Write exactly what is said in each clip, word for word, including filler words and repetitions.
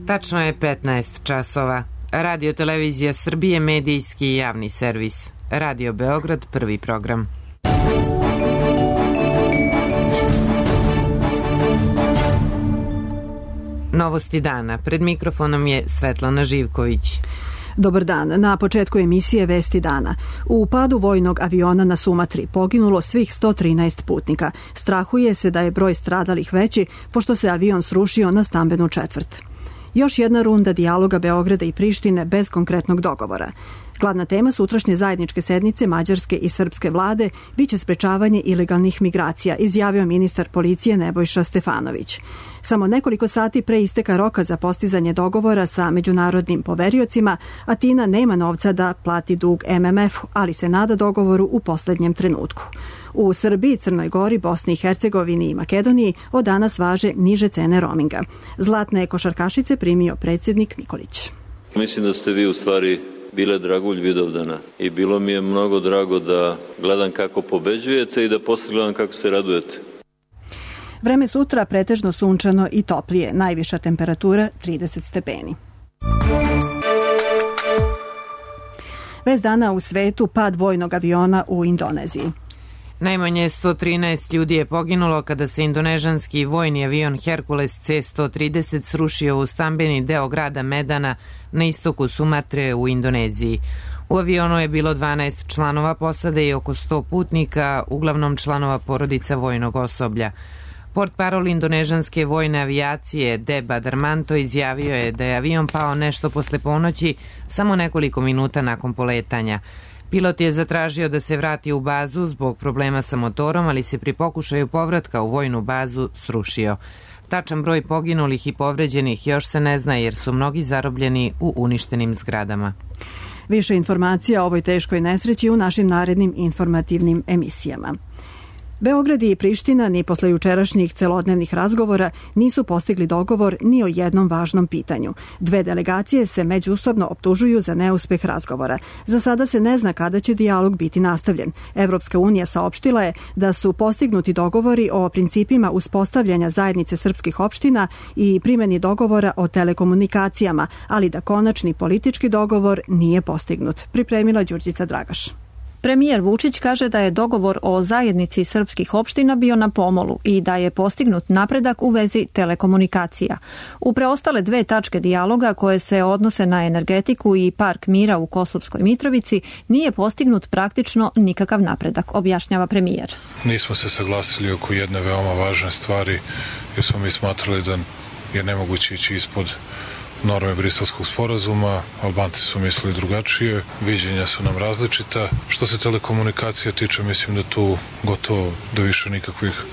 Tačno je petnaest časova. Radio Televizija Srbije, medijski i javni servis. Radio Beograd, prvi program. Novosti dana. Pred mikrofonom je Svetlana Živković. Dobar dan. Na početku emisije Vesti dana. U padu vojnog aviona na Sumatri poginulo svih sto trinaest putnika. Strahuje se da je broj stradalih veći, pošto se avion srušio na stambenu četvrt. Još jedna runda dijaloga Beograda i Prištine bez konkretnog dogovora. Glavna tema sutrašnje zajedničke sednice mađarske i srpske vlade biće sprečavanje ilegalnih migracija, izjavio ministar policije Nebojša Stefanović. Samo nekoliko sati pre isteka roka za postizanje dogovora sa međunarodnim poveriocima, Atina nema novca da plati dug em em ef-u, ali se nada dogovoru u poslednjem trenutku. U Srbiji, Crnoj Gori, Bosni i Hercegovini i Makedoniji od danas važe niže cene roaminga. Zlatne košarkašice primio predsjednik Nikolić. Mislim da ste vi u stvari bile dragulj Vidovdana i bilo mi je mnogo drago da gledam kako pobeđujete i da posle gledam kako se radujete. Vreme sutra pretežno sunčano i toplije, najviša temperatura trideset stepeni. Vest dana u svetu, pad vojnog aviona u Indoneziji. Najmanje sto trinaest ljudi je poginulo kada se indonežanski vojni avion Hercules C sto trideset srušio u stambeni deo grada Medana na istoku Sumatre u Indoneziji. U avionu je bilo dvanaest članova posade i oko sto putnika, uglavnom članova porodica vojnog osoblja. Portparol indonežanske vojne avijacije Deba Darmanto izjavio je da je avion pao nešto posle ponoći, samo nekoliko minuta nakon poletanja. Pilot je zatražio da se vrati u bazu zbog problema sa motorom, ali se pri pokušaju povratka u vojnu bazu srušio. Tačan broj poginulih i povređenih još se ne zna jer su mnogi zarobljeni u uništenim zgradama. Više informacija o ovoj teškoj nesreći u našim narednim informativnim emisijama. Beograd i Priština ni posle jučerašnjih celodnevnih razgovora nisu postigli dogovor ni o jednom važnom pitanju. Dve delegacije se međusobno optužuju za neuspeh razgovora. Za sada se ne zna kada će dijalog biti nastavljen. Evropska unija saopštila je da su postignuti dogovori o principima uspostavljanja zajednice srpskih opština i primjeni dogovora o telekomunikacijama, ali da konačni politički dogovor nije postignut. Pripremila Đurđica Dragaš. Premijer Vučić kaže da je dogovor o zajednici srpskih opština bio na pomolu i da je postignut napredak u vezi telekomunikacija. U preostale dve tačke dijaloga koje se odnose na energetiku i park mira u Kosovskoj Mitrovici nije postignut praktično nikakav napredak, objašnjava premijer. Nismo se saglasili oko jedne veoma važne stvari jer smo mi smatrali da je nemoguće ići ispod norme Briselskog sporazuma, Albanci su mislili drugačije, viđenja su nam različita. Što se telekomunikacija tiče, mislim da tu gotovo da više nikakvih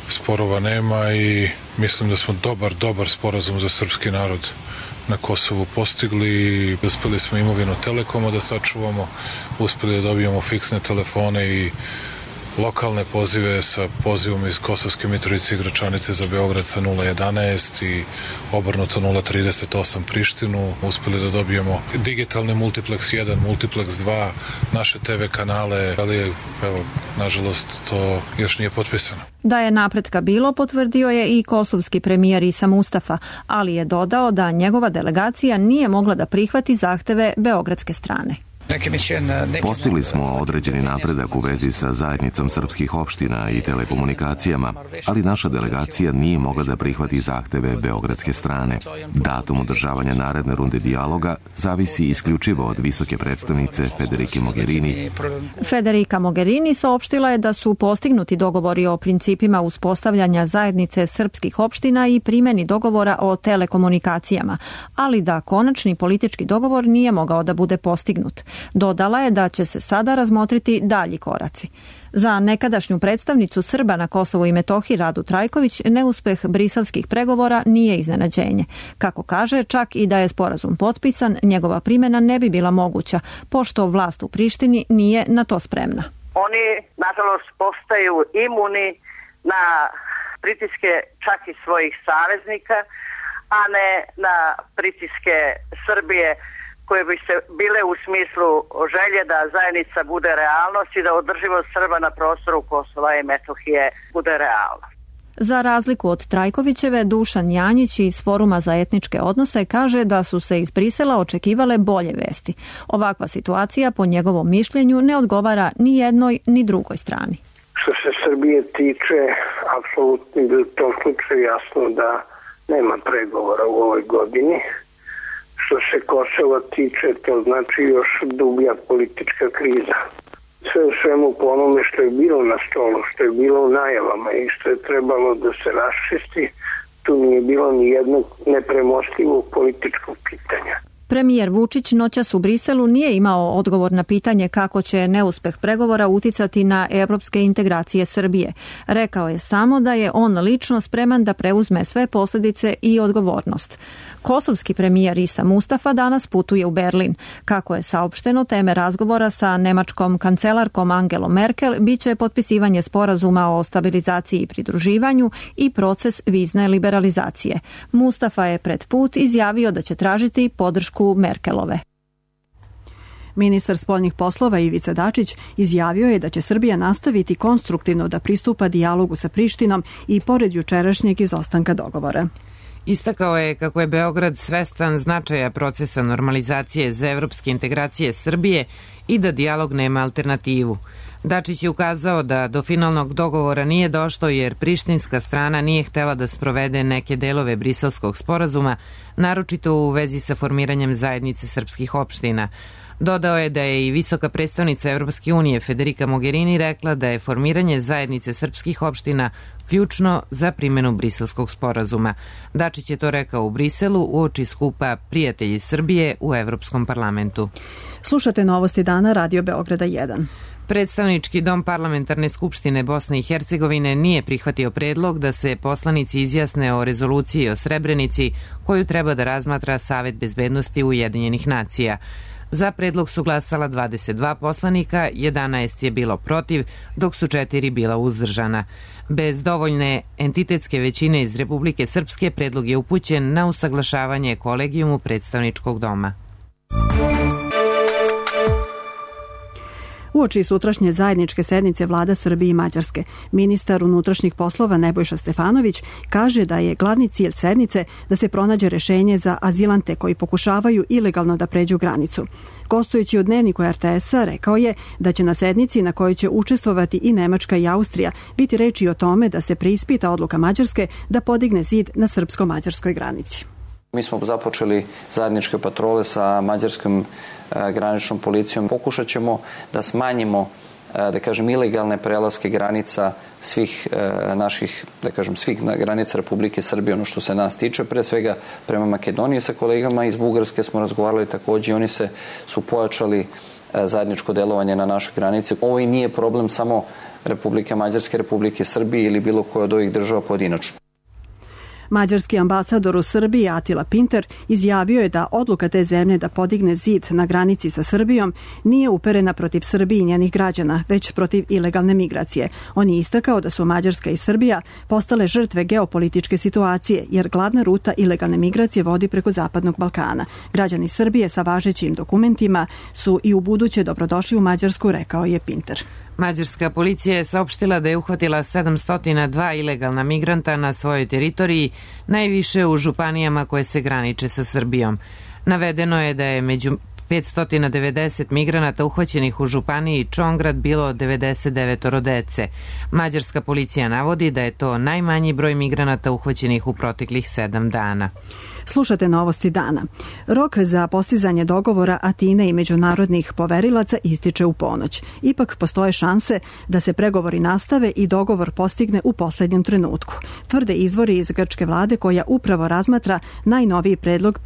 sporova nema i mislim da smo dobar, dobar sporazum za srpski narod na Kosovu postigli i uspeli smo imovinu Telekoma da sačuvamo, uspeli da dobijemo fiksne telefone i lokalne pozive sa pozivom iz Kosovske Mitrovice i Gračanice za Beograd sa nula jedanaest i obrnuto nula trideset osam Prištinu. Uspeli da dobijemo digitalni multiplex jedan, multiplex dva, naše te ve kanale, ali evo, nažalost to još nije potpisano. Da je napretka bilo, potvrdio je i kosovski premijer Isa Mustafa, ali je dodao da njegova delegacija nije mogla da prihvati zahteve beogradske strane. Postigli smo određeni napredak u vezi sa zajednicom srpskih opština i telekomunikacijama, ali naša delegacija nije mogla da prihvati zahteve beogradske strane. Datum održavanja naredne runde dijaloga zavisi isključivo od visoke predstavnice Federike Mogherini. Federica Mogherini saopštila je da su postignuti dogovori o principima uspostavljanja zajednice srpskih opština i primjeni dogovora o telekomunikacijama, ali da konačni politički dogovor nije mogao da bude postignut. Dodala je da će se sada razmotriti dalji koraci. Za nekadašnju predstavnicu Srba na Kosovu i Metohiji Radu Trajković neuspeh briselskih pregovora nije iznenađenje. Kako kaže, čak i da je sporazum potpisan, njegova primjena ne bi bila moguća, pošto vlast u Prištini nije na to spremna. Oni, nažalost, postaju imuni na pritiske čak i svojih saveznika, a ne na pritiske Srbije, koje bi se bile u smislu želje da zajednica bude realnost i da održivost Srba na prostoru Kosova i Metohije bude realna. Za razliku od Trajkovićeve, Dušan Janjić iz Foruma za etničke odnose kaže da su se iz Brisela očekivale bolje vesti. Ovakva situacija, po njegovom mišljenju, ne odgovara ni jednoj ni drugoj strani. Što se Srbije tiče, apsolutno je u tom slučaju jasno da nema pregovora u ovoj godini. Što se Kosova tiče, to znači još dublja politička kriza. Sve u svemu po onome što je bilo na stolu, što je bilo u najavama i što je trebalo da se raščisti, tu nije bilo ni jednog nepremostivog političkog pitanja. Premijer Vučić noćas u Briselu nije imao odgovor na pitanje kako će neuspeh pregovora uticati na evropske integracije Srbije. Rekao je samo da je on lično spreman da preuzme sve posljedice i odgovornost. Kosovski premijer Isa Mustafa danas putuje u Berlin. Kako je saopšteno, teme razgovora sa nemačkom kancelarkom Angelom Merkel biće potpisivanje sporazuma o stabilizaciji i pridruživanju i proces vizne liberalizacije. Mustafa je pred put izjavio da će tražiti podršku Merkelove. Ministar spoljnih poslova Ivica Dačić izjavio je da će Srbija nastaviti konstruktivno da pristupa dijalogu sa Prištinom i pored jučerašnjeg izostanka dogovora. Istakao je kako je Beograd svestan značaja procesa normalizacije za evropske integracije Srbije i da dijalog nema alternativu. Dačić je ukazao da do finalnog dogovora nije došlo jer prištinska strana nije htela da sprovede neke delove briselskog sporazuma, naročito u vezi sa formiranjem zajednice srpskih opština. Dodao je da je i visoka predstavnica Evropske unije Federica Mogherini rekla da je formiranje zajednice srpskih opština ključno za primjenu briselskog sporazuma. Dačić je to rekao u Briselu uoči skupa Prijatelji Srbije u Evropskom parlamentu. Slušate novosti dana Radio Beograda jedan. Predstavnički dom Parlamentarne skupštine Bosne i Hercegovine nije prihvatio predlog da se poslanici izjasne o rezoluciji o Srebrenici koju treba da razmatra Savet bezbednosti Ujedinjenih nacija. Za predlog su glasala dvadeset dva poslanika, jedanaest je bilo protiv, dok su četiri bila uzdržana. Bez dovoljne entitetske većine iz Republike Srpske predlog je upućen na usaglašavanje kolegijumu predstavničkog doma. Uoči sutrašnje zajedničke sednice vlada Srbije i Mađarske, ministar unutrašnjih poslova Nebojša Stefanović kaže da je glavni cilj sednice da se pronađe rešenje za azilante koji pokušavaju ilegalno da pređu granicu. Gostujući u dnevniku er te es-a rekao je da će na sednici na kojoj će učestvovati i Nemačka i Austrija biti reči o tome da se preispita odluka Mađarske da podigne zid na srpsko-mađarskoj granici. Mi smo započeli zajedničke patrole sa mađarskom e, graničnom policijom. Pokušat ćemo da smanjimo e, da kažem ilegalne prelaske granica svih e, naših, da kažem svih granica Republike Srbije, ono što se nas tiče, pre svega prema Makedoniji sa kolegama iz Bugarske smo razgovarali takođe i oni se su pojačali e, zajedničko delovanje na našoj granici. Ovo i nije problem samo Republike Mađarske, Republike Srbije ili bilo koje od ovih država pojedinačno. Mađarski ambasador u Srbiji Atila Pinter izjavio je da odluka te zemlje da podigne zid na granici sa Srbijom nije uperena protiv Srbije i njenih građana, već protiv ilegalne migracije. On je istakao da su Mađarska i Srbija postale žrtve geopolitičke situacije, jer glavna ruta ilegalne migracije vodi preko Zapadnog Balkana. Građani Srbije sa važećim dokumentima su i u buduće dobrodošli u Mađarsku, rekao je Pinter. Mađarska policija je saopštila da je uhvatila sedamsto dva ilegalna migranta na svojoj teritoriji, najviše u županijama koje se graniče sa Srbijom. Navedeno je da je među petsto devedeset migranata uhvaćenih u županiji Čongrad bilo devedeset devet dece. Mađarska policija navodi da je to najmanji broj migranata uhvaćenih u proteklih sedam dana. Slušate novosti dana. Rok za postizanje dogovora Atine i međunarodnih poverilaca ističe u ponoć. Ipak postoje šanse da se pregovori nastave i dogovor postigne u posljednjem trenutku. Tvrde izvori iz grčke vlade koja upravo razmatra najnoviji predlog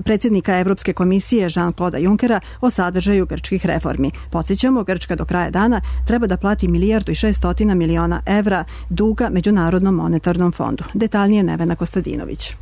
predsjednika Evropske komisije Jean-Claude Junckera o sadržaju grčkih reformi. Podsjećamo, Grčka do kraja dana treba da plati milijardu i šeststotina miliona evra duga Međunarodnom monetarnom fondu. Detaljnije Nevena Kostadinović.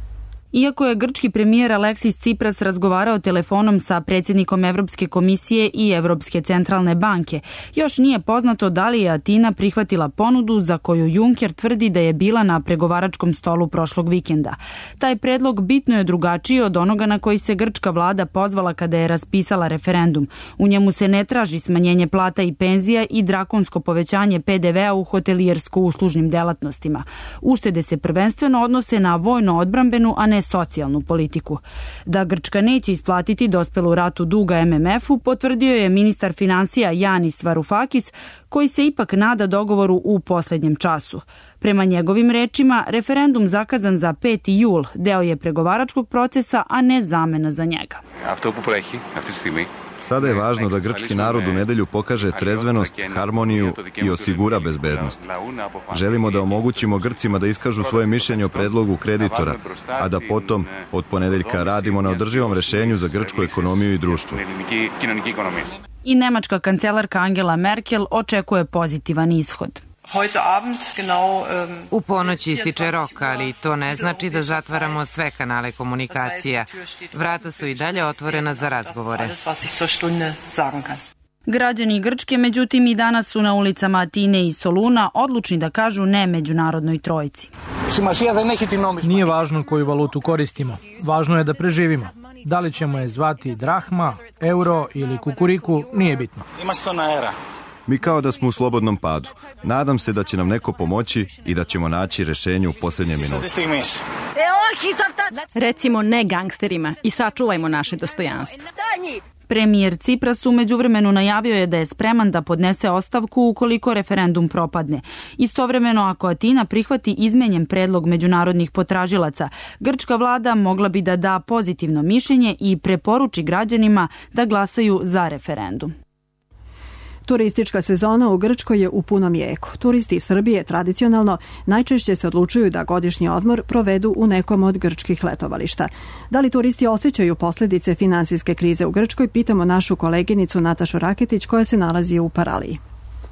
Iako je grčki premijer Aleksis Tsipras razgovarao telefonom sa predsjednikom Evropske komisije i Evropske centralne banke, još nije poznato da li je Atina prihvatila ponudu za koju Juncker tvrdi da je bila na pregovaračkom stolu prošlog vikenda. Taj predlog bitno je drugačiji od onoga na koji se grčka vlada pozvala kada je raspisala referendum. U njemu se ne traži smanjenje plata i penzija i drakonsko povećanje pe de vea u hotelijersko-uslužnim delatnostima. Uštede se prvenstveno odnose na vojno-odbrambenu, a ne socijalnu politiku. Da Grčka neće isplatiti dospelu ratu duga em em efu, potvrdio je ministar finansija Yanis Varoufakis, koji se ipak nada dogovoru u posljednjem času. Prema njegovim rečima, referendum zakazan za peti jul deo je pregovaračkog procesa, a ne zamena za njega. Sada je važno da grčki narod u nedelju pokaže trezvenost, harmoniju i osigura bezbednost. Želimo da omogućimo Grcima da iskažu svoje mišljenje o predlogu kreditora, a da potom od ponedeljka radimo na održivom rešenju za grčku ekonomiju i društvo. I nemačka kancelarka Angela Merkel očekuje pozitivan ishod. U ponoć ističe rok, ali to ne znači da zatvaramo sve kanale komunikacija. Vrata su i dalje otvorena za razgovore. Građani Grčke, međutim, i danas su na ulicama Atine i Soluna odlučni da kažu ne međunarodnoj trojici. Nije važno koju valutu koristimo. Važno je da preživimo. Da li ćemo je zvati drahma, euro ili kukuriku, nije bitno. Mi kao da smo u slobodnom padu. Nadam se da će nam neko pomoći i da ćemo naći rešenje u posljednje minute. Recimo ne gangsterima i sačuvajmo naše dostojanstvo. Premijer Tsipras u međuvremenu najavio je da je spreman da podnese ostavku ukoliko referendum propadne. Istovremeno, ako Atina prihvati izmenjen predlog međunarodnih potražilaca, grčka vlada mogla bi da da pozitivno mišljenje i preporuči građanima da glasaju za referendum. Turistička sezona u Grčkoj je u punom jeku. Turisti iz Srbije tradicionalno najčešće se odlučuju da godišnji odmor provedu u nekom od grčkih letovališta. Da li turisti osjećaju posljedice finansijske krize u Grčkoj, pitamo našu koleginicu Natašu Raketić koja se nalazi u Paraliji.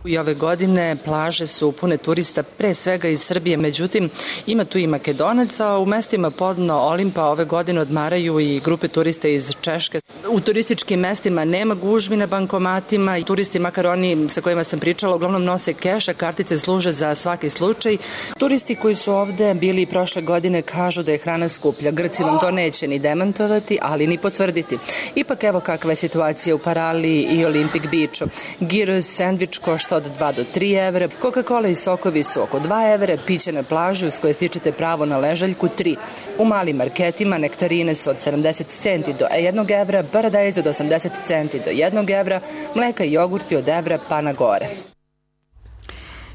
I ove godine plaže su pune turista, pre svega iz Srbije, međutim ima tu i Makedonaca, u mestima podno Olimpa ove godine odmaraju i grupe turista iz Češke. U turističkim mestima nema gužvi na bankomatima i turisti, makar oni sa kojima sam pričala, uglavnom nose keš, a kartice služe za svaki slučaj. Turisti koji su ovde bili prošle godine kažu da je hrana skuplja. Grci vam to neće ni demantovati, ali ni potvrditi. Ipak evo kakva je situacija u Paraliji i Olympic Beachu. Gyros sendvič košta od dva do tri evra, Coca-Cola i sokovi su oko dva evra, piće na plaži uz koje stičete pravo na ležaljku tri. U malim marketima nektarine su od sedamdeset centi do jednog evra, paradajz od osamdeset centi do jednog evra, mleka i jogurti od evra pa na gore.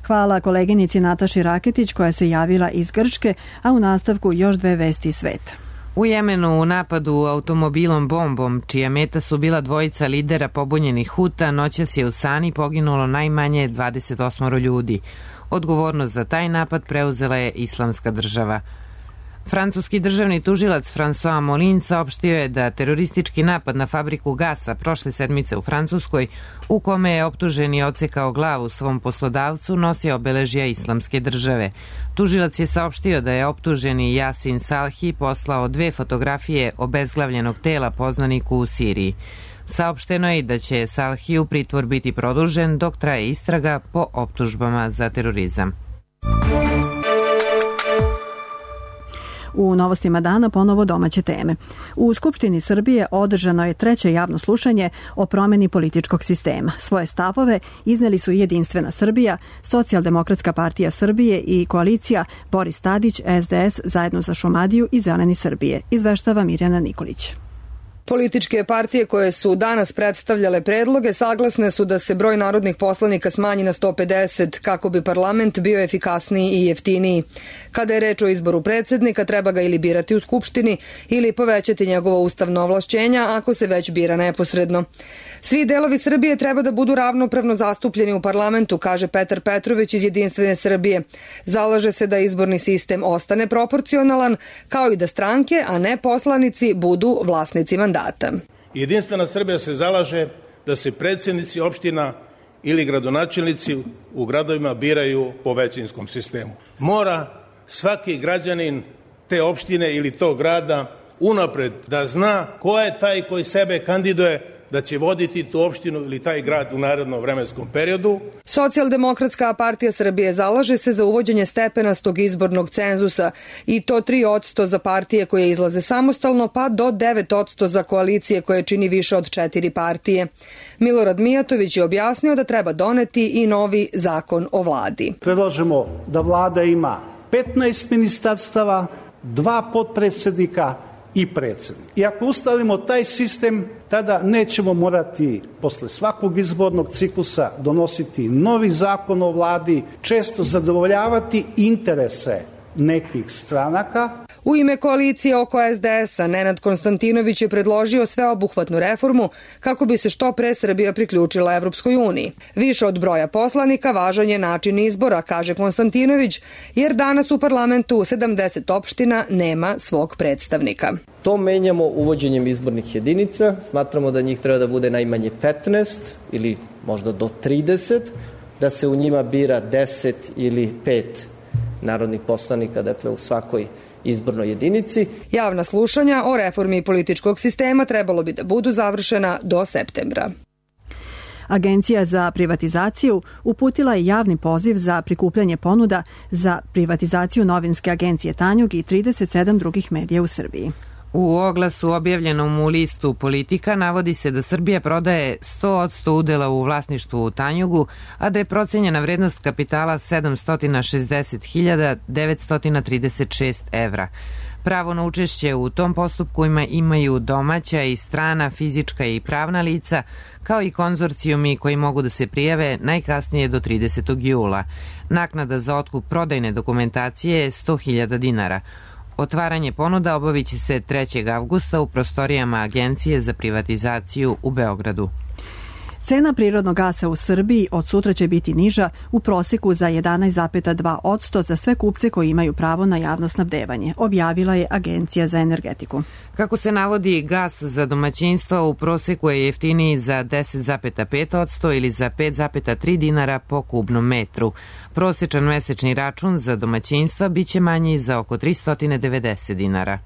Hvala koleginici Nataši Raketić koja se javila iz Grčke, a u nastavku još dve vesti sveta. U Jemenu u napadu automobilom bombom, čija meta su bila dvojica lidera pobunjenih Huta, noćas je u Sani poginulo najmanje dvadeset osam ljudi. Odgovornost za taj napad preuzela je Islamska država. Francuski državni tužilac François Molin saopštio je da teroristički napad na fabriku gasa prošle sedmice u Francuskoj, u kome je optuženi odsekao glavu svom poslodavcu, nosi obeležja Islamske države. Tužilac je saopštio da je optuženi Yasin Salhi poslao dve fotografije obezglavljenog tela poznaniku u Siriji. Saopšteno je da će Salhiju pritvor biti produžen dok traje istraga po optužbama za terorizam. U novostima dana ponovo domaće teme. U Skupštini Srbije održano je treće javno slušanje o promjeni političkog sistema. Svoje stavove izneli su Jedinstvena Srbija, Socijaldemokratska partija Srbije i koalicija Boris Tadić, es de es, Zajedno za Šumadiju i Zeleni Srbije, izveštava Mirjana Nikolić. Političke partije koje su danas predstavljale predloge saglasne su da se broj narodnih poslanika smanji na sto pedeset kako bi parlament bio efikasniji i jeftiniji. Kada je reč o izboru predsjednika, treba ga ili birati u Skupštini ili povećati njegovo ustavno ovlašćenja ako se već bira neposredno. Svi delovi Srbije treba da budu ravnopravno zastupljeni u parlamentu, kaže Petar Petrović iz Jedinstvene Srbije. Zalaže se da izborni sistem ostane proporcionalan, kao i da stranke, a ne poslanici, budu vlasnici mandata. Jedinstvena Srbija se zalaže da se predsjednici opština ili gradonačelnici u gradovima biraju po većinskom sistemu. Mora svaki građanin te opštine ili tog grada unapred, da zna ko je taj koji sebe kandiduje da će voditi tu opštinu ili taj grad u narednom vremenskom periodu. Socijaldemokratska partija Srbije zalaže se za uvođenje stepenastog izbornog cenzusa i to tri posto za partije koje izlaze samostalno, pa do devet posto za koalicije koje čini više od četiri partije. Milorad Mijatović je objasnio da treba doneti i novi zakon o vladi. Predlažemo da vlada ima petnaest ministarstava, dva potpredsednika i predsednik. I ako ustalimo taj sistem, tada nećemo morati posle svakog izbornog ciklusa donositi novi zakon o vladi, često zadovoljavati interese nekih stranaka. U ime koalicije oko es de es a Nenad Konstantinović je predložio sveobuhvatnu reformu kako bi se što pre Srbija priključila Evropskoj uniji. Više od broja poslanika važan je način izbora, kaže Konstantinović, jer danas u parlamentu sedamdeset opština nema svog predstavnika. To menjamo uvođenjem izbornih jedinica. Smatramo da njih treba da bude najmanje petnaest ili možda do trideset, da se u njima bira deset ili pet narodnih poslanika, dakle u svakoj izbornoj jedinici. Javna slušanja o reformi političkog sistema trebalo bi da budu završena do septembra. Agencija za privatizaciju uputila je javni poziv za prikupljanje ponuda za privatizaciju novinske agencije Tanjug i trideset sedam drugih medija u Srbiji. U oglasu objavljenom u listu Politika navodi se da Srbija prodaje sto posto udela u vlasništvu u Tanjugu, a da je procenjena vrednost kapitala sedamsto šezdeset hiljada devetsto trideset šest evra. Pravo na učešće u tom postupku imaju domaća i strana fizička i pravna lica, kao i konzorcijumi koji mogu da se prijave najkasnije do tridesetog jula. Naknada za otkup prodajne dokumentacije je sto hiljada dinara. Otvaranje ponuda obavit će se trećeg avgusta u prostorijama Agencije za privatizaciju u Beogradu. Cena prirodnog gasa u Srbiji od sutra će biti niža u proseku za jedanaest zarez dva posto za sve kupce koji imaju pravo na javno snabdevanje, objavila je Agencija za energetiku. Kako se navodi, gas za domaćinstva u proseku je jeftiniji za deset zarez pet posto ili za pet zarez tri dinara po kubnom metru. Prosečan mesečni račun za domaćinstva biće manji za oko tristo devedeset dinara.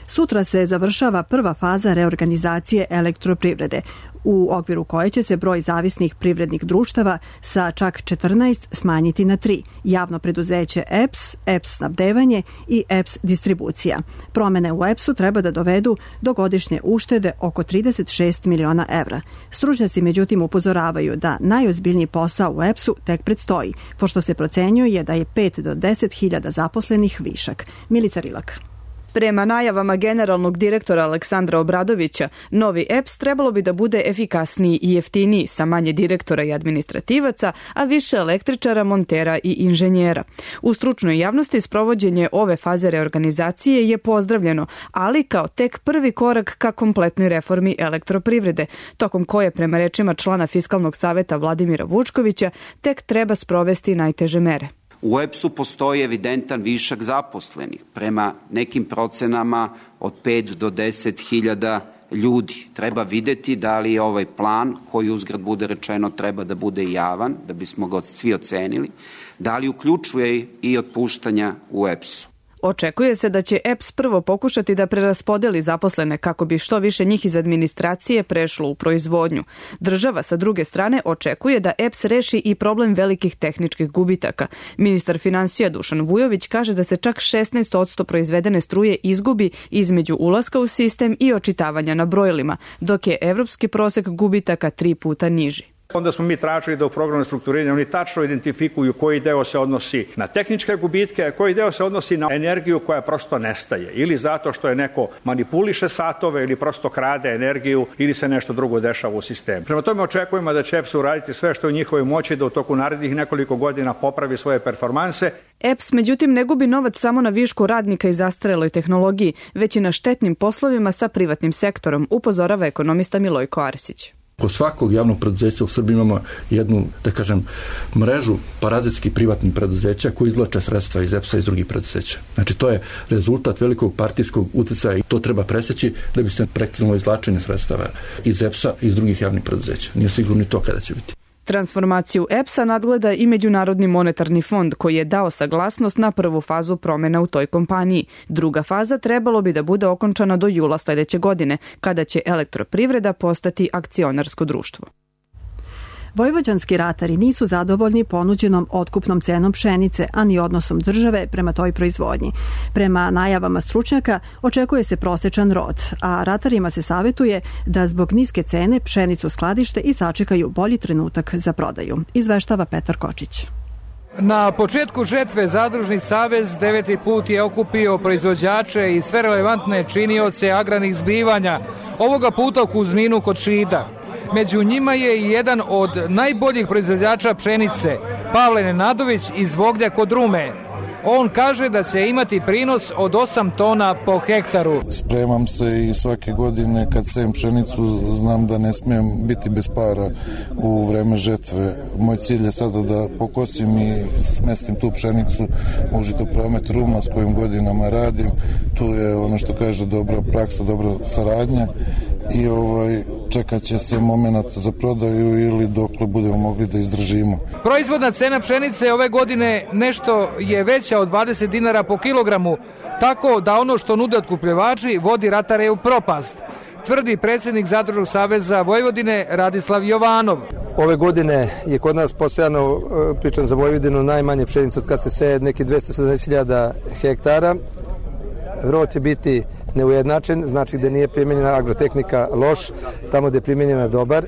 Sutra se završava prva faza reorganizacije elektroprivrede, u okviru koje će se broj zavisnih privrednih društava sa čak četrnaest smanjiti na tri, javno preduzeće E P S, E P S snabdevanje i E P S distribucija. Promene u E P S-u treba da dovedu do godišnje uštede oko trideset šest miliona evra. Stručnjaci međutim upozoravaju da najozbiljniji posao u E P S-u tek predstoji, pošto se procenjuje da je pet do deset hiljada zaposlenih višak. Milica Rilak. Prema najavama generalnog direktora Aleksandra Obradovića, novi E P S trebalo bi da bude efikasniji i jeftiniji, sa manje direktora i administrativaca, a više električara, montera i inženjera. U stručnoj javnosti sprovođenje ove faze reorganizacije je pozdravljeno, ali kao tek prvi korak ka kompletnoj reformi elektroprivrede, tokom koje, prema rečima člana Fiskalnog saveta Vladimira Vučkovića, tek treba sprovesti najteže mere. U E P S-u postoji evidentan višak zaposlenih, prema nekim procenama od pet do deset hiljada ljudi. Treba videti da li je ovaj plan, koji uzgrad bude rečeno treba da bude javan, da bismo ga svi ocenili, da li uključuje i otpuštanja u E P S-u. Očekuje se da će E P S prvo pokušati da preraspodeli zaposlene kako bi što više njih iz administracije prešlo u proizvodnju. Država sa druge strane očekuje da E P S reši i problem velikih tehničkih gubitaka. Ministar finansija Dušan Vujović kaže da se čak šesnaest posto proizvedene struje izgubi između ulaska u sistem i očitavanja na brojilima, dok je evropski prosek gubitaka tri puta niži. Onda smo mi tražili da u programu strukturiranja oni tačno identifikuju koji deo se odnosi na tehničke gubitke, a koji deo se odnosi na energiju koja prosto nestaje. Ili zato što je neko manipuliše satove ili prosto krade energiju ili se nešto drugo dešava u sistemu. Prema tome očekujemo da će E P S uraditi sve što je u njihovoj moći da u toku narednih nekoliko godina popravi svoje performanse. E P S međutim ne gubi novac samo na višku radnika i zastareloj tehnologiji, već i na štetnim poslovima sa privatnim sektorom, upozorava ekonomista Milojko Arsić. Kod svakog javnog preduzeća u Srbiji imamo jednu, da kažem, mrežu parazitskih privatnih preduzeća koji izvlače sredstva iz E P S-a i iz drugih preduzeća. Znači, to je rezultat velikog partijskog uticaja i to treba preseći da bi se prekinulo izvlačenje sredstava iz E P S-a i iz drugih javnih preduzeća. Nije sigurno ni to kada će biti. Transformaciju E P S-a nadgleda i Međunarodni monetarni fond koji je dao saglasnost na prvu fazu promjena u toj kompaniji. Druga faza trebalo bi da bude okončana do jula sledeće godine, kada će Elektroprivreda postati akcionarsko društvo. Vojvođanski ratari nisu zadovoljni ponuđenom otkupnom cenom pšenice, a ni odnosom države prema toj proizvodnji. Prema najavama stručnjaka očekuje se prosečan rod, a ratarima se savjetuje da zbog niske cene pšenicu skladište i sačekaju bolji trenutak za prodaju. Izveštava Petar Kočić. Na početku žetve Zadružni savez deveti put je okupio proizvođače i sve relevantne činioce agrarnih zbivanja, ovoga puta u Kuzninu kod Šida. Među njima je i jedan od najboljih proizvođača pšenice, Pavle Nenadović iz Voglja kod Rume. On kaže da će imati prinos od osam tona po hektaru. Spremam se i svake godine kad sejem pšenicu znam da ne smijem biti bez para u vreme žetve. Moj cilj je sada da pokosim i smestim tu pšenicu u žitopromet Ruma s kojim godinama radim. Tu je ono što kaže dobra praksa, dobra saradnja i ovaj, čekat će se moment za prodaju ili dokle budemo mogli da izdržimo. Proizvodna cena pšenice ove godine nešto je veća od dvadeset dinara po kilogramu, tako da ono što nude otkupljivači vodi ratare u propast, tvrdi predsjednik Zadružnog saveza Vojvodine Radislav Jovanov. Ove godine je kod nas posejano, pričam za Vojvodinu, najmanje pšenice od kad se seje, neki dvesta sedamdeset hiljada hektara. Rod će biti neujednačen, znači da nije primjenjena agrotehnika loš, tamo gde je primjenjena dobar.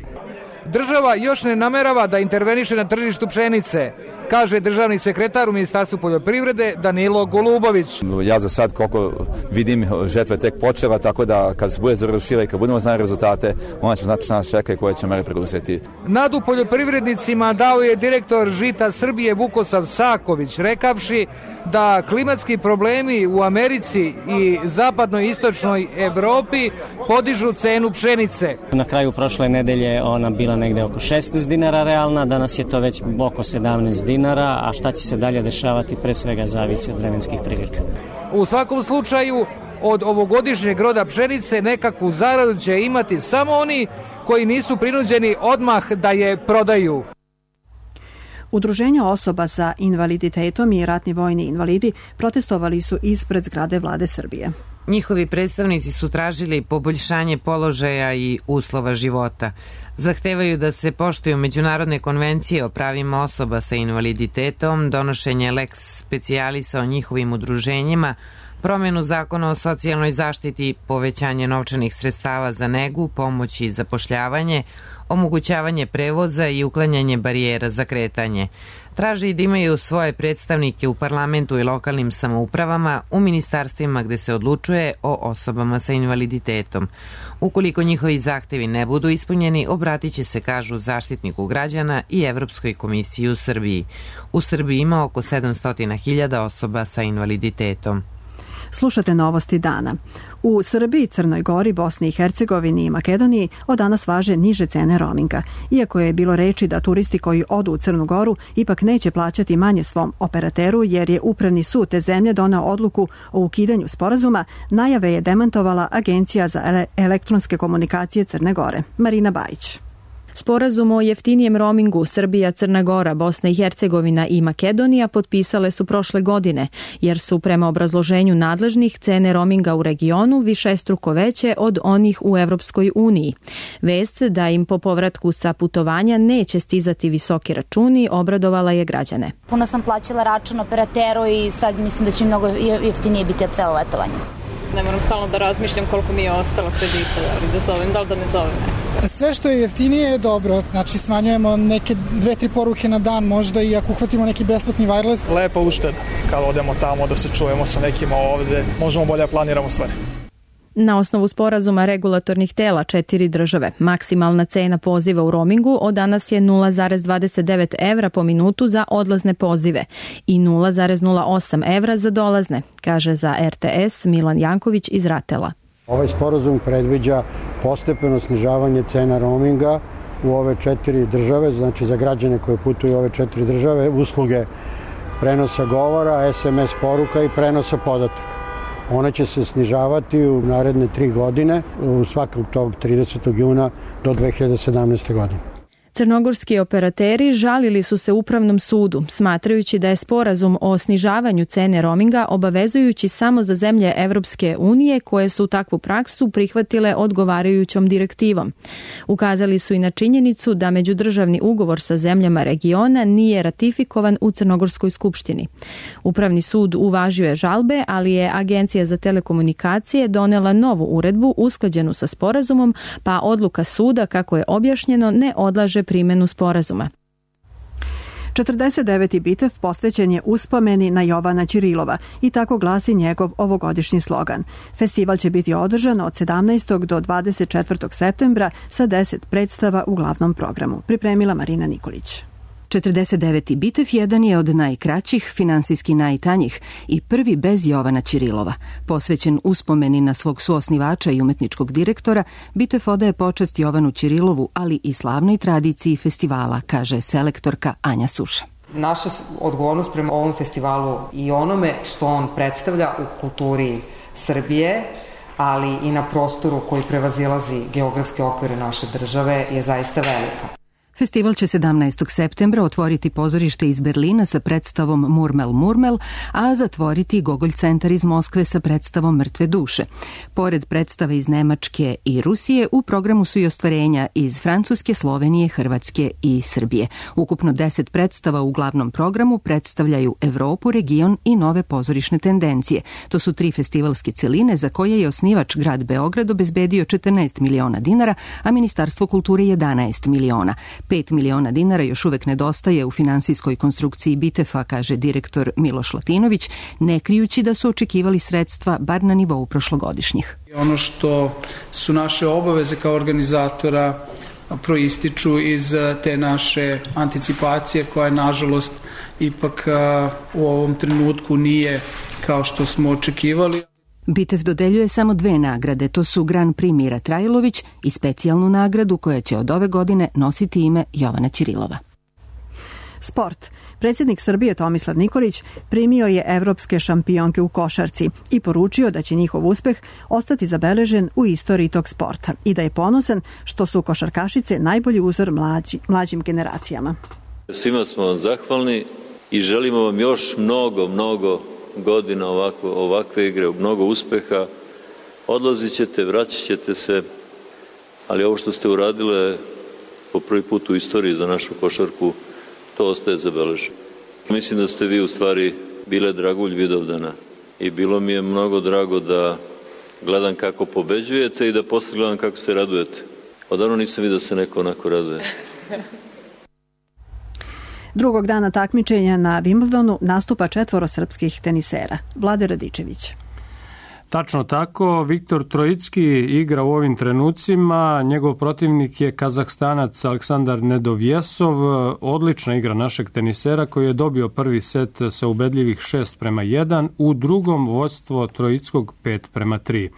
Država još ne namerava da interveniše na tržištu pšenice, kaže državni sekretar u Ministarstvu poljoprivrede Danilo Golubović. Ja za sad koliko vidim žetva je tek počela, tako da kad se bude završila i kad budemo znali rezultate, onda ćemo znati što nas čeka i koje će mere preduzeti. Nadu poljoprivrednicima dao je direktor Žita Srbije Vukosav Saković, rekavši da klimatski problemi u Americi i zapadnoj i istočnoj Evropi podižu cenu pšenice. Na kraju prošle nedelje ona bila negde oko šesnaest dinara realna, danas je to već oko sedamnaest dinara, a šta će se dalje dešavati pre svega zavisi od vremenskih prilika. U svakom slučaju, od ovogodišnjeg roda pšenice nekakvu zaradu će imati samo oni koji nisu prinuđeni odmah da je prodaju. Udruženja osoba sa invaliditetom i ratni vojni invalidi protestovali su ispred zgrade Vlade Srbije. Njihovi predstavnici su tražili poboljšanje položaja i uslova života. Zahtevaju da se poštuju međunarodne konvencije o pravima osoba sa invaliditetom, donošenje lex specialisa o njihovim udruženjima, promjenu zakona o socijalnoj zaštiti, povećanje novčanih sredstava za negu, pomoć i zapošljavanje, omogućavanje prevoza i uklanjanje barijera za kretanje. Traži da imaju svoje predstavnike u parlamentu i lokalnim samoupravama, u ministarstvima gde se odlučuje o osobama sa invaliditetom. Ukoliko njihovi zahtevi ne budu ispunjeni, obratit će se, kažu, Zaštitniku građana i Evropskoj komisiji u Srbiji. U Srbiji ima oko sedamsto hiljada osoba sa invaliditetom. Slušate novosti dana. U Srbiji, Crnoj Gori, Bosni i Hercegovini i Makedoniji od danas važe niže cene roaminga. Iako je bilo reči da turisti koji odu u Crnu Goru ipak neće plaćati manje svom operateru jer je Upravni sud te zemlje doneo odluku o ukidanju sporazuma, najave je demantovala Agencija za elektronske komunikacije Crne Gore. Marina Bajić. Sporazum o jeftinijem roamingu Srbija, Crna Gora, Bosna i Hercegovina i Makedonija potpisale su prošle godine, jer su prema obrazloženju nadležnih cene roaminga u regionu višestruko veće od onih u Evropskoj uniji. Vest da im po povratku sa putovanja neće stizati visoki računi obradovala je građane. Puno sam plaćala račun operateru i sad mislim da će mnogo jeftinije biti od celo letovanje. Ne moram stalno da razmišljam koliko mi je ostalo kredita, ali da zovem, da li da ne zovem. Sve što je jeftinije je dobro, znači smanjujemo neke dve, tri poruke na dan možda i ako uhvatimo neki besplatni wireless. Lepa ušteda, kad odemo tamo da se čujemo sa nekima ovde, možemo bolje planiramo stvari. Na osnovu sporazuma regulatornih tela četiri države, maksimalna cena poziva u roamingu od danas je nula zarez dvadeset devet evra po minutu za odlazne pozive i nula zarez nula osam evra za dolazne, kaže za R T S Milan Janković iz Ratela. Ovaj sporazum predviđa postepeno snižavanje cena roaminga u ove četiri države, znači za građane koje putuju u ove četiri države, usluge prenosa govora, S M S poruka i prenosa podataka. Ona će se snižavati u naredne tri godine, u svakog tog tridesetog juna do dve hiljade sedamnaeste. godine. Crnogorski operateri žalili su se Upravnom sudu, smatrajući da je sporazum o snižavanju cene roaminga obavezujući samo za zemlje Evropske unije koje su takvu praksu prihvatile odgovarajućom direktivom. Ukazali su i na činjenicu da međudržavni ugovor sa zemljama regiona nije ratifikovan u Crnogorskoj skupštini. Upravni sud uvažio je žalbe, ali je Agencija za telekomunikacije donela novu uredbu usklađenu sa sporazumom, pa odluka suda, kako je objašnjeno, ne odlaže primjenu sporazuma. četrdeset deveti Bitev posvećen je uspomeni na Jovana Ćirilova i tako glasi njegov ovogodišnji slogan. Festival će biti održan od sedamnaestog do dvadeset četvrtog septembra sa deset predstava u glavnom programu. Pripremila Marina Nikolić. četrdeset deveti Bitev jedan je od najkraćih, finansijski najtanjih i prvi bez Jovana Ćirilova. Posvećen uspomeni na svog suosnivača i umetničkog direktora, Bitev odaje počast Jovanu Ćirilovu, ali i slavnoj tradiciji festivala, kaže selektorka Anja Suša. Naša odgovornost prema ovom festivalu i onome što on predstavlja u kulturi Srbije, ali i na prostoru koji prevazilazi geografske okvire naše države, je zaista velika. Festival će sedamnaestog septembra otvoriti pozorište iz Berlina sa predstavom Murmel Murmel, a zatvoriti Gogolj centar iz Moskve sa predstavom Mrtve duše. Pored predstave iz Nemačke i Rusije, u programu su i ostvarenja iz Francuske, Slovenije, Hrvatske i Srbije. Ukupno deset predstava u glavnom programu predstavljaju Evropu, region i nove pozorišne tendencije. To su tri festivalske celine za koje je osnivač grad Beograd obezbedio četrnaest miliona dinara, a Ministarstvo kulture jedanaest miliona. pet miliona dinara još uvek nedostaje u finansijskoj konstrukciji Bitefa, kaže direktor Miloš Latinović, ne krijući da su očekivali sredstva bar na nivou prošlogodišnjih. Ono što su naše obaveze kao organizatora proističu iz te naše anticipacije koja je nažalost ipak u ovom trenutku nije kao što smo očekivali. Bitev dodeljuje samo dve nagrade, to su Grand Prix Mira Trajlović i specijalnu nagradu koja će od ove godine nositi ime Jovana Ćirilova. Sport. Predsjednik Srbije Tomislav Nikolić primio je evropske šampionke u košarci i poručio da će njihov uspeh ostati zabeležen u istoriji tog sporta i da je ponosan što su košarkašice najbolji uzor mlađi, mlađim generacijama. Svima smo vam zahvalni i želimo vam još mnogo, mnogo godina ovako, ovakve igre, mnogo uspeha. Odlazit ćete, vraćat ćete se, ali ovo što ste uradile po prvi put u istoriji za našu košarku, to ostaje zabeleženo. Mislim da ste vi u stvari bile dragulj Vidovdana i bilo mi je mnogo drago da gledam kako pobeđujete i da posle gledam kako se radujete. Odavno nisam vidio da se neko onako raduje. Drugog dana takmičenja na Wimbledonu nastupa četvoro srpskih tenisera. Vlade Radičević. Tačno tako, Viktor Trojicki igra u ovim trenucima, njegov protivnik je Kazahstanac Aleksandar Nedovjesov, odlična igra našeg tenisera koji je dobio prvi set sa ubedljivih šest prema jedan, u drugom vodstvo Trojickog pet prema tri.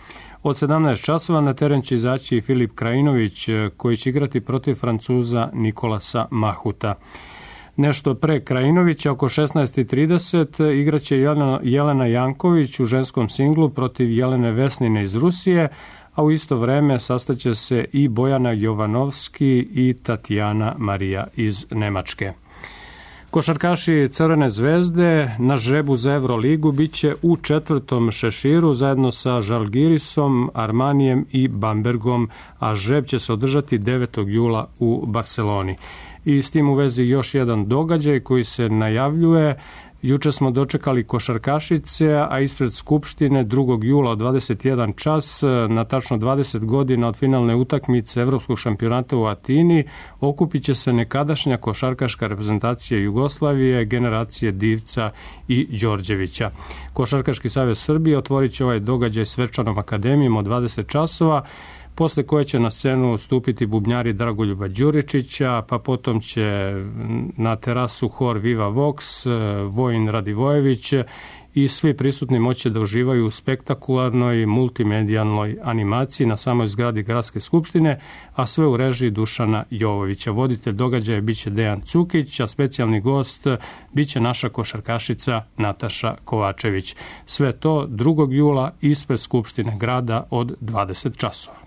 Od sedamnaest časova na teren će izaći i Filip Krajinović koji će igrati protiv Francuza Nikolasa Mahuta. Nešto pre Krajinovića, oko šesnaest i trideset, igraće Jelena, Jelena Janković u ženskom singlu protiv Jelene Vesnine iz Rusije, a u isto vreme sastaće se i Bojana Jovanovski i Tatjana Marija iz Nemačke. Košarkaši Crvene zvezde na žrebu za Euroligu biće u četvrtom šeširu zajedno sa Žalgirisom, Armanijem i Bambergom, a žreb će se održati devetog jula u Barseloni. I s tim u vezi još jedan događaj koji se najavljuje. Juče smo dočekali košarkašice, a ispred Skupštine drugog jula od dvadeset jedan čas, na tačno dvadeset godina od finalne utakmice Evropskog šampionata u Atini, okupit će se nekadašnja košarkaška reprezentacija Jugoslavije, generacije Divca i Đorđevića. Košarkaški savez Srbije otvorit će ovaj događaj svečanom akademijom od dvadeset časova, posle koje će na scenu stupiti bubnjari Dragoljuba Đuričića, pa potom će na terasu hor Viva Vox, Vojin Radivojević i svi prisutni moći da uživaju u spektakularnoj multimedijalnoj animaciji na samoj zgradi Gradske skupštine, a sve u režiji Dušana Jovovića. Voditelj događaja biće Dejan Cukić, a specijalni gost biće naša košarkašica Nataša Kovačević. Sve to drugog jula ispred Skupštine grada od dvadeset časova.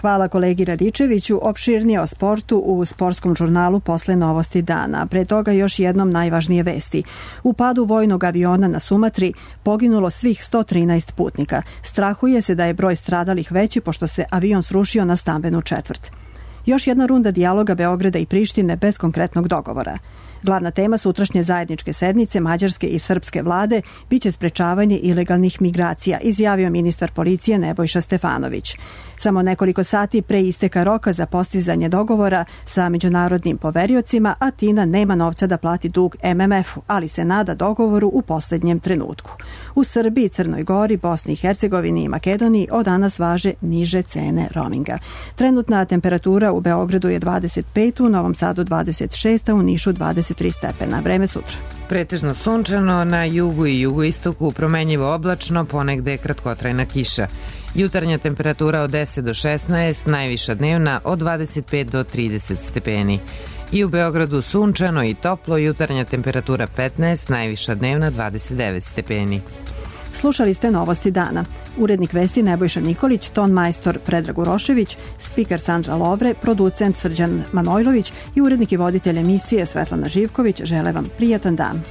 Hvala kolegi Radičeviću. Opširnije o sportu u sportskom žurnalu posle novosti dana. Pre toga još jednom najvažnije vesti. U padu vojnog aviona na Sumatri poginulo svih sto trinaest putnika. Strahuje se da je broj stradalih veći pošto se avion srušio na stambenu četvrt. Još jedna runda dijaloga Beograda i Prištine bez konkretnog dogovora. Glavna tema sutrašnje zajedničke sednice mađarske i srpske vlade biće sprečavanje ilegalnih migracija, izjavio ministar policije Nebojša Stefanović. Samo nekoliko sati pre isteka roka za postizanje dogovora sa međunarodnim poveriocima, Atina nema novca da plati dug em em efu, ali se nada dogovoru u poslednjem trenutku. U Srbiji, Crnoj Gori, Bosni i Hercegovini i Makedoniji od danas važe niže cene roaminga. Trenutna temperatura u Beogradu je dvadeset pet, u Novom Sadu dvadeset šest, a u Nišu dvadeset tri stepena. Vreme sutra. Pretežno sunčano, na jugu i jugoistoku promenljivo oblačno, ponegde kratkotrajna kiša. Jutarnja temperatura od deset do šesnaest, najviša dnevna od dvadeset pet do trideset stepeni. I u Beogradu sunčano i toplo, jutarnja temperatura petnaest, najviša dnevna dvadeset devet stepeni. Slušali ste novosti dana. Urednik vesti Nebojša Nikolić, ton majstor Predrag Urošević, spiker Sandra Lovre, producent Srđan Manojlović i urednik i voditelj emisije Svetlana Živković žele vam prijatan dan.